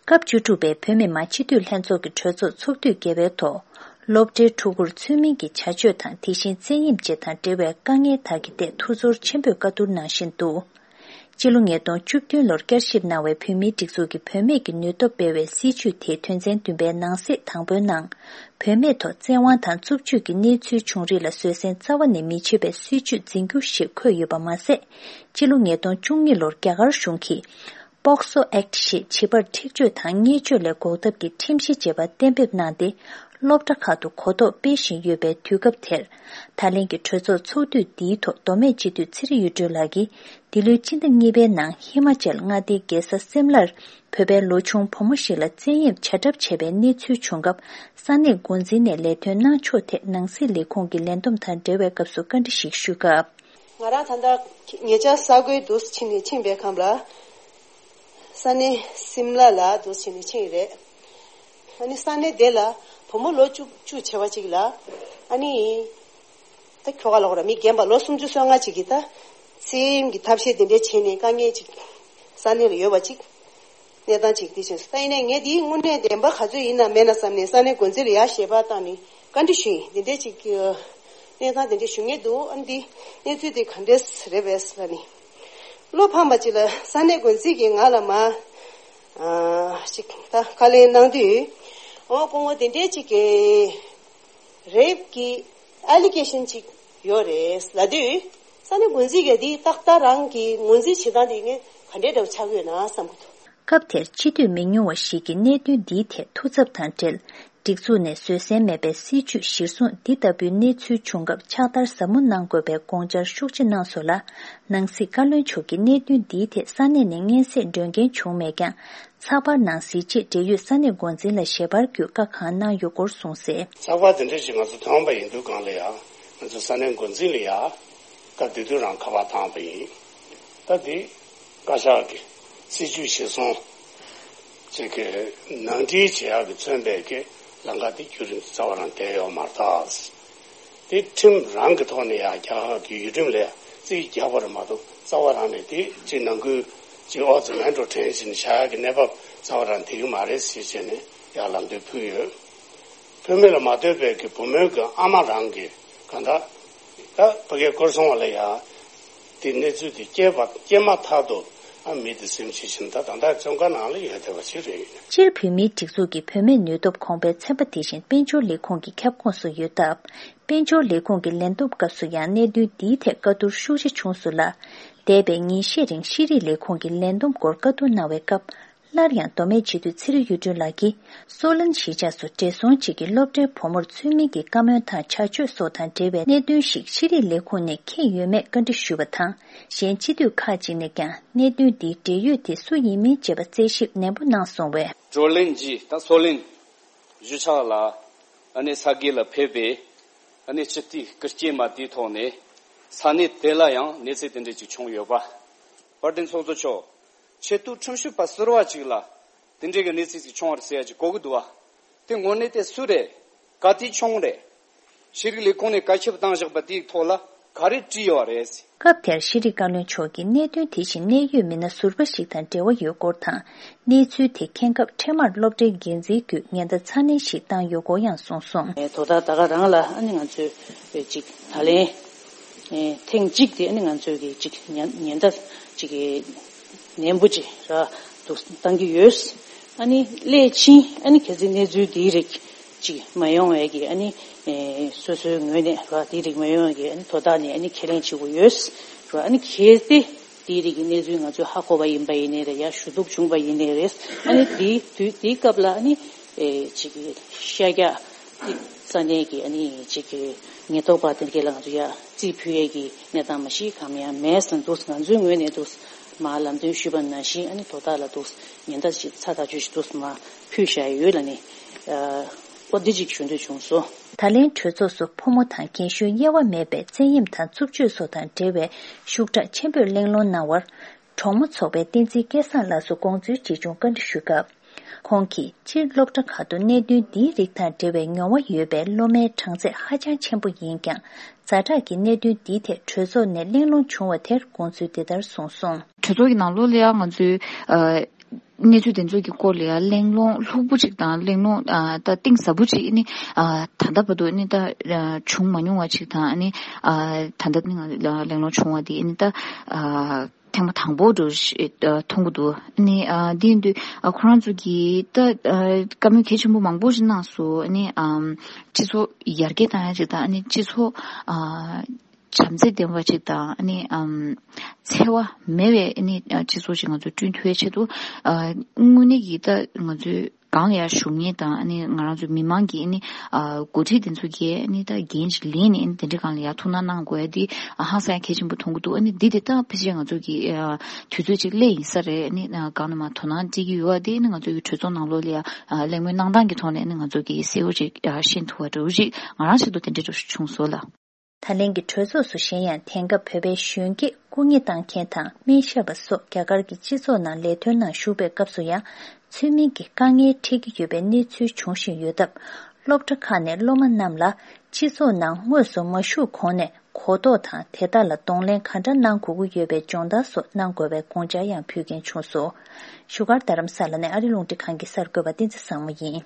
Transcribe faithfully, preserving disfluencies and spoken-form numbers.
སྐབས་བཅུ་དྲུག་པའི་བོད་མི་མང་སྤྱི་འཐུས་ལྷན་ཚོགས་ཀྱི་གྲོས་ཚོགས་ཚོགས་དུས་བརྒྱད་པའི་ཐོག་སློབ་གྲྭའི་ཕྲུ་གུར་ཚུལ་མིན་གྱི་བྱ་སྤྱོད་དང་དེ་བཞིན་བཙན་གཡེམ་བཅས་དང་འབྲེལ་བའི་དཀའ་ངལ་དག་གི་ཐད་ཐུགས་ཚོར་ཆེན་པོས་བཀའ་བསྡུར་གནང་བཞིན་འདུག་སྤྱི་ལོ་ཉིས་སྟོང་བཅུ་བདུན་ལོར་བསྐྱར་ཞིབ་གནང་བའི་བོད་མིའི་སྒྲིག་འཛུགས་ཀྱི་བུད་མེད་ཀྱི་ནུས་སྟོབས་སྤེལ་བའི་སྲིད་བྱུས་དེའི་དོན་ཚན་བདུན་པའི་ནང་གསེས་དང་པོའི་ནང་། བུད་མེད་ཐོག་བཙན་དབང་དང་རྩུབ་སྤྱོད་ཀྱི་གནས་ཚུལ་བྱུང་རིགས་ལ་བཟོད་བསྲན་རྩ་བ་ནས་མི་བྱེད་པའི་སྲིད་བྱུས་འཛིན་རྒྱུ་ཞེས་འཁོད་ཡོད་པ་མ་ཟད། སྤྱི་ལོ་ཉིས་སྟོང་བཅུ་གཉིས་ལོར་རྒྱ་གར་གཞུང་གིས། པོག་སོ་ཨེག་ཞེས་བྱིས་པར་འཁྲིག་སྤྱོད་དང་བརྙས་བཅོས་ལས་འགོག་ཐབས་ཀྱི་ཁྲིམས་གཞི་ཅེས་པ་གཏན་འབེབས་གནང་སྟེ། སློབ་གྲྭ་ཁག་ཏུ་གོ་རྟོགས་སྤེལ་བཞིན་ཡོད་པའི་དུས་སྐབས་དེར། ད་ལན་གྱི་གྲོས་ཚོགས་ཚོགས་དུས་འདིའི་ཐོག་མདོ་སྨད་སྤྱི་འཐུས་ཚེ་རིང་གཡུ་སྒྲོན་ལགས་ཀྱིས། འདི་ལོའི་སྤྱི་ཟླ་གཉིས་པའི་ནང་ཧི་མ་ཅལ་མངའ་སྡེའི་རྒྱལ་ས་སིམ་ལར། བོད་པའི་ལོ་ཆུང་བུ་མོ་ཞིག་ལ་བཙན་གཡེམ་བྱ་གྲབས་བྱས་པའི་གནས་ཚུལ་བྱུང་སྐབས། ས་གནས་འགོ་འཛིན་ནས་ལས་དོན་གནང་ཕྱོགས་ཐད་ནང་སྲིད་ལས་ཁུངས་ཀྱི་ལས་བསྡོམས་དང་འབྲེལ་བའི་སྐབས་སུ་བཀའ་འདྲི་ཞིག་ཞུས་སྐབས། ང་རང་ད་ལྟ་ཉེ་ཆར་ས་གོའི་དུ་ཕྱིན་ནས་ཕྱིན་པའི་ཁམས་ལ། ས་གནས་སིམ་ལ་ལ་དུ་ཕྱིན་ནས་ཕྱིན་ཡོད་རེད། ཨ་ནི་ས་གནས་དེ་ལ་བུ་མོ་ལོ་བཅུ་བཅུ་བྱས་པ་ཅིག་ལ། ཨ་ནི། ད་ཁྱོ་ག་ལ་ཧོ་ར་མི་རྒན་པ་ལོ་སུམ་ཅུ་སོ་ལྔ་ཅིག་གིས་ད་བཙན་གཡེམ་གྱི་ཐབས་ཤེས་དེ་འདྲ་བྱས་ནས་དཀའ་ངལ་ཅིག་ས་གནས་ལ་ཡོད་པ་ཅིག་གནས་སྟངས་ཅིག་དེ་བཞིན་སུ་ད་ཡིན་ནའི་ངས་དེའི་དངོས་གནས་བདེན་པ་ག་ཚོད་ཡིན་ན་མེད་ན་བསམ་ནས་ས་གནས་འགོ་འཛིན་ལ་ཡར་ཞལ་པར་བཏང་ནས་བཀའ་འདྲི་ཞུས་ཡིན། དེ་འདྲས་ཅིག་གནས་སྟངས་དེ་འདྲས་ཞུ་ངེས་འདུག་ཨ་ནི་འདི་གནས་ཚུལ་དེ་ག་འདྲས་རེད་པས་ལ་ནི། བློ་ཕམ་པ་ཅིག་ལ་ས་གནས་འགོ་འཛིན་གྱིས་ང་ལ་མ་ཨ་ཅིག་ད་བཀའ་ལན་གནང་དུས། འོ་སྐུ་ངོ་དེ་འདྲས་ཅིག་གི་རེབ་ཀྱི་ཨ་ལི་གེ་ཤན་ཅིག་ཡོད་རེད་ལབ་དུས། ས་གནས་འགོ་འཛིན་གྱིས་འདི་ཏག་ཏག་རང་གི་ངོས་འཛིན་བྱེད་སྟངས་དེ་ངས་ག་འདྲས་འདྲ་བོ་ཆགས་ཀྱི་ཡོད་ན་བསམ་གྱི་འདུག་སྐབས་དེར་སྤྱི་འཐུས་མི་ཉུང་བ་ཞིག་གིས་གནད་དོན་འདིའི་ཐད་ཐུགས་འཚབ་དང་འབྲེལ། སྒྲིག་འཛུགས་ནས་བཟོད་བསྲན་མེད་པའི་སྲིད་བྱུས་གཞིར་བཟུང་འདི་ལྟ་བུའི་གནས་ཚུལ་བྱུང་སྐབས་ཕྱག་བསྟར་ཟབ་མོ་གནང་དགོས་པའི་དགོངས་འཆར་ཤུགས་ཆེ་གནང་སོང་ལ། ནང་སྲིད་བཀའ་བློན་མཆོག་གིས་གནད་དོན་འདིའི་ཐད་ས་གནས་ནས་སྙན་སེང་སྒྲོན་མཁན་བྱུང་མེད་ཀྱང་། ཚགས་པར་ནང་གཟི་བརྗིད་འབྲེལ་ཡོད་ས་གནས་འགོ་འཛིན་ལ་ཞལ་པར་བརྒྱུད་བཀའ་གང་གནང་ཡོད་སྐོར་གསུངས་གསལ། ཚགས་པར་དེ་འདྲ་ཞིག་ང་ཚོ་ཐོན་པ་ཡིན་དུས་སྒང་ལ་ཡང་ང་ཚོ་ས་གནས་འགོ་འཛིན་ལ་ཡང་སྐབས་དེ་དུས་རང་ཁ་པར་བཏང་པ་ཡིན། ད་དེ་བཀའ་ཤག་གི་སྲིད་བྱུས་གཞིར་བཟུང་ཅིག་གི་ནང་འཁྲིད་བྱེད་ཡག་གི་མཚོན་པའི་གི་ལམ་ཁ་དེ་བརྒྱུད་རིམ་དུ་རྩ་བ་རང་བསྡད་ཡོད་མ་རེད་ད། དེ་ཁྲིམས་རང་གི་ཐོག་ནས་ཡང་རྒྱ་གར་གྱི་ཡུལ་ཁྲིམས་ལ་ཡང་རྩིས་རྒྱག་པ་རེད་མ་གཏོགས་རྩ་བ་རང་ནས་དེ་ཅིག་ནང་ཁུལ་ཅིག་ཨོ་ཙི་མེན་འགྲོ་དྲན་བཞིན་བཞག་ཡག་གི་གནས་བབ་རྩ་བ་རང་དེ་གི་མ་རེད་ཟེར་བྱས་ནས་ཡང་ལམ་སྟོན་ཕུལ་ཡོད། བུད་མེད་ལ་མ་ལྟོས་པའི་གི་བུ་མོའི་གི་ཨ་མ་རང་གི་གང་ལྟར་ད་ཕ་གིའི་སྐོར་སྲུང་བ་ལ་ཡང་དེ་གནས་ཚུལ་དེ་སྐྱེས་པ་སྐྱེས་མ་ཐག་ཏུ་ཨ་མི་དེ་སེམས་ཤི་བཞིན་ད་ད་ལྟ་བཙོན་ཁང་ནང་ལ་ཡོད་བསྡད་པ་ཞིག་རེད། སྤྱིར་བོད་མིའི་སྒྲིག་འཛུགས་ཀྱི་བུད་མེད་ནུས་སྟོབས་གོང་འཕེལ་ཚན་པ་དེ་བཞིན་དཔལ་འབྱོར་ལས་ཁུངས་ཀྱི་ཁྱབ་ཁོངས་སུ་ཡོད་སྟབས། དཔལ་འབྱོར་ལས་ཁུངས་ཀྱི་ལས་བསྡོམས་སྐབས་སུ་ཡང་གནད་དོན་འདིའི་ཐད་བཀའ་བསྡུར་ཤུགས་ཆེ་བྱུང་སོང་ལ། འདས་པའི་ཉིན་ཤས་རིང་ཤེས་རིག་ལས་ཁུངས་ཀྱི་ལས་བསྡོམས་སྐོར་བཀའ་བསྡུར་གནང་བའི་སྐབས། སླར་ཡང་མདོ་སྨད་སྤྱི་འཐུས་ཚེ་རིང་གཡུ་སྒྲོན་ལགས་ཀྱིས། སོ་ལན་གཞིས་ཆགས་སུ་བགྲེས་སོང་གཅིག་གིས་སློབ་གྲྭའི་བུ་མོར་ཚུལ་མིན་གྱི་བཀའ་མོལ་དང་བྱ་སྤྱོད་སོགས་དང་འབྲེལ་བའི་གནད་དོན་ཞིག་ཤེས་རིག་ལས་ཁུངས་ནས་མཁྱེན་ཡོད་མེད་བཀའ་འདྲི་ཞུས་པ་དང་། གཞན་སྤྱི་འཐུས་ཁག་ཅིག་ནས་ཀྱང་གནད་དོན་འདིའི་འབྲེལ་ཡོད་དེ་སུ་ཡིན་མིན་བཅས་པ་རྩད་ཞིབ་ནན་པོ་གནང་སོང་བས། བགྲོ་གླེང་གཞི་ད་སོ་ལན་གཞིས་ཆགས་ལ་ཨ་ནི་ས་དགེ་ལ་ཕེབས་པའི་ཨ་ནི་སྤྱི་འཐུས་སྐུ་སྐྱེས་མ་དེའི་ཐོག་ནས་ས་གནས་དེ་ལ་ཡང་གནས་ཚུལ་དེ་འདྲ་ཅིག་བྱུང་ཡོད་པ། དཔལ་ལྡན་ཚོགས་གཙོ་མཆོག་ཆེས་མཐོའི་ཁྲིམས་ཞིབ་པ་ཟུར་པ་ཅིག་ལ་དེ་འདྲའི་གི་གནས་ཚུལ་ཅིག་བྱུང་བ་རེད་ཟེར་ཡ་ཅིག་གོ་གི་འདུག་བ། དེ་དངོས་གནས་དེ་སུ་རེད། ག་དུས་བྱུང་རེད། ཤེས་རིག་ལས་ཁུངས་ནས་བཀའ་ཁྱབ་བཏང་བཞག་པ་དེའི་ཐོག་ལ་ག་རེ་བྲིས་ཡོད་རེད། སྐབས་དེར་ཤེས་རིག་བཀའ་བློན་མཆོག་གིས་གནད་དོན་དེ་བཞིན་གནད་ཡོད་མི་སྣ་ཟུར་པ་ཞིག་དང་འབྲེལ་བ་ཡོད་སྐོར་དང་། གནས་ཚུལ་དེ་མཁྱེན་སྐབས་འཕྲལ་མར་སློབ་གྲྭའི་འགན་འཛིན་བརྒྱུད་ཉེན་བརྡ་ཚ་ནན་ཞིག་བཏང་ཡོད་སྐོར་ཡང་གསུངས་སོང་། དོ་བདག་ད་ག་རང་ལ་ཨ་ནི་ང་ཚོས་ཅིག་ད་ལན་ཐེངས་གཅིག་དེ་ཨ་ནི་ང་ཚོས་ཀྱི་ཅིག་ཉེན་ཉེན་བརྡ་ཅིག་ནན་པོ་ཅིག་ར་འདུག་བཏང་གི་ཡོད། ཨ་ནི་སླད་ཕྱིན་ཨ་ནི་གལ་སྲིད་གནས་ཚུལ་འདིའི་རིགས་ཅིག་མ་ཡོང་བའི་གི་ཨ་ནི་ཨེ་སོ་སོའི་ངོས་ནས་ར་དེའི་རིགས་མ་ཡོང་བའི་གི་ཨ་ནི་དོ་བདག་ནས་ཨ་ནི་ཁས་ལེན་བྱེད་དགོས་ཡོད་ར། ཨ་ནི་གལ་ཏེ་དེའི་རིགས་ཀྱི་གནས་ཚུལ་ང་ཚོས་ཧ་གོ་བ་ཡིན་པ་ཡིན་ནའི་རེད། ཡ་ཞུ་གཏུག་བྱུང་བ་ཡིན་ནའི་རེད། ཨ་ནི་དེའི་དུས་དེའི་སྐབས་ལ་ཨ་ནི་ཨེ་ཅིག་གི་ཤ་རྒྱག་ས་གནས་ཀྱི་ཨ་ནི་ཅིག་གི་ཉེན་རྟོག་པ་དེ་འདྲ་ལ་ང་ཚོ་ཡ་རྩིས་ཕུལ་ཡས་ཀྱི་གནས་སྟངས་མ་གཞི་གང་ཡང་མེད་ཟེར་འདུག་ང་ཚོའི་ངོས་ནས་འདུག་མ་ལམ་སྟོན་ཞུས་པ་ནང་བཞིན་ཨ་ནི་དོ་བདག་ལ་འདུག་ཉེན་བརྡ་ཞིག་ཚ་ཐག་ཆོད་ཞིག་འདུག་མ་ཕུལ་བཞག་ཡོད་ལ་ནི། ཨོ་འདི་ཅིག་ཞུ་འདོད་བྱུང་སོང་། ད་ལན་གྲོས་ཚོགས་སུ་ཕོ་མོ་དང་རྒན་གཞོན་དབྱེ་བ་མེད་པའི་བཙན་གཡེམ་དང་རྩུབ་སྤྱོད་སོགས་དང་འབྲེལ་བའི་ཤུགས་དྲག་ཆེན་པོས་གླེང་སློང་གནང་བར། གྲོགས་མོ་ཚོགས་པའི་བསྟན་འཛིན་སྐལ་བཟང་ལགས་སུ་དགོངས་ཚུལ་ཇི་བྱུང་བཀའ་འདྲི་ཞུས་སྐབས། ཁོང་གིས་སྤྱིར་སློབ་གྲྭ་ཁག་ཏུ་གནད་དོན་འདིའི་རིགས་དང་འབྲེལ་བའི་མྱོང་བ་ཡོད་པའི་སློབ་མའི་གྲངས་ཚད་ཧ་ཅང་ཆེན་པོ་ཡིན་ཀྱང་། ཛ་དྲག་གི་གནད་དོན་འདིའི་ཐད་གྲོས་ཚོགས་ནས་གླེང་སློང་བྱུང་བ་དེར་དགོངས་ཚུལ་འདི་ལྟར་གསུངས་སོང་། གྲོས་ཚོགས་ཀྱི་ནང་ལོགས་ལ་ཡང་ང་ཚོས་ཨ་ གནས་ཚུལ་དེ་ཚོ་གི་སྐོར་ལ་ཡང་གླེང་སློང་ལྷུག་པོ་ཅིག་དང་། གླེང་སློང་ཨ་ད་གཏིང་ཟབ་པོ་ཅིག་ཨ་ནི་ཨ་ད་ལྟ་བར་དུ་ཨ་ནི་ད་ཨ་བྱུང་མ་མྱོང་བ་ཅིག་དང་། ཨ་ནི་ཨ་ད་ལྟ་ནི་ང་ལ་གླེང་སློང་བྱུང་བ་དེ་ཨ་ནི་ད་ཨ་ཐེངས་མ་དང་པོ་འདྲ་ཞིག་ཨ་མཐོང་གི་འདུག་ཨ་ནི་ཨ་དེ་ཡིན་དུས་ཨ་ཁོ་རང་ཚོ་གིས་ད་ཨ་བཀའ་མོལ་གལ་ཆེན་པོ་མང་པོ་ཞིག་གནང་སོང་། ཨ་ནི་ཨམ་སྤྱི་ཚོགས་ཡར་རྒྱས་བཏང་ཡ་ཅིག་དང་། ཨ་ནི་སྤྱི་ཚོགས་ཨ་བྱམས་བརྩེ་ལྡན་པ་ཅིག་དང་། ཨ་ནི་ཨམ་འཚེ་བ་མེད་པའི་ཨ་ནི་ཨ་སྤྱི་ཚོགས་ཤིག་ང་ཚོས་བསྐྲུན་ཐུབ་ཡ་ཆེད་དུ་ཨ་དངོས་གནས་ཀྱི་ད་ང་ཚོའི་སྒང་ལ་ཡར་བཞུགས་མཁན་དང་། ཨ་ནི་ང་རང་ཚོའི་མི་མང་གི་ཨ་ནི་ཨ་འགོ་ཁྲིད་དེ་ཚོ་གིས་ཨ་ནི་ད་འགན་ཅིག་ལེན་ནས་ཨ་ནི་དེ་འདྲའི་སྒང་ལ་ཡར་ཐུགས་སྣང་གནང་དགོས་ཡ་དེ་ཨ་ཧང་སང་ཡ་གལ་ཆེན་པོ་མཐོང་གི་འདུག་ཨ་ནི་འདི་དེ་ད་ཕལ་ཆེར་ང་ཚོ་གི་ཨ་དུས་ཚོད་ཅིག་སླེབས་ཡིན་ས་རེད། ཨ་ནི་ཨ་སྒང་ནས་མར་དོ་སྣང་སྤྲད་ཀྱི་ཡོད་པ་དེ་ཨ་ནི་ང་ཚོ་གི་གྲོས་ཚོགས་ནང་ལོགས་ལ་ཡ་ཨ་གླེང་མོལ་གནང་སྟངས་ཀྱི་ཐོག་ནས་ཨ་ནི་ང་ཚོ་གི་གསལ་པོ་ཅིག་ཨ་ཤེས་ཐུབ་པ་འདྲ་བོ་ཅིག་ང་རང་ཆེད་དུ་དེ་འདྲ་འདྲ་བོ་ཞིག་བྱུང་སོང་ལགས། ད་ལན་གྱི་གྲོས་ཚོགས་སུ་གཞན་ཡང་དེང་སྐབས་བོད་པའི་གཞོན་སྐྱེས་སྐུ་ངལ་བཏང་མཁན་དང་སྨན་ཞབས་པ་སོགས་རྒྱ་གར་གྱི་སྤྱི་ཚོགས་ནང་ལས་དོན་ནང་ཞུགས་པའི་སྐབས་སུ་ཡང་ཚུལ་མིན་གྱི་དཀའ་ངལ་འཕྲད་ཀྱི་ཡོད་པའི་གནས་ཚུལ་འབྱུང་བཞིན་ཡོད་སྟབས། སློབ་གྲྭ་ཁག་ནས་སློབ་མ་རྣམས་ལ་སྤྱི་ཚོགས་ནང་དངོས་སུ་མ་ཞུགས་གོང་ནས་གོ་རྟོགས་དང་དེ་དག་ལ་གདོང་ལེན་ག་འདྲ་གནང་དགོས་ཀྱི་ཡོད་པའི་སྦྱོང་བརྡར་སོགས་གནང་དགོས་པའི་དགོངས་འཆར་ཡང་ཕུལ་མཁན་བྱུང་སོང་། བཞུགས་སྒར་རྡ་རམ་ས་ལ་ནས་ཨ་རི་རླུང་འཕྲིན་ཁང་གི་གསར་འགོད་པ་བསྟན་འཛིན་བཟང་མོ་ཡིན།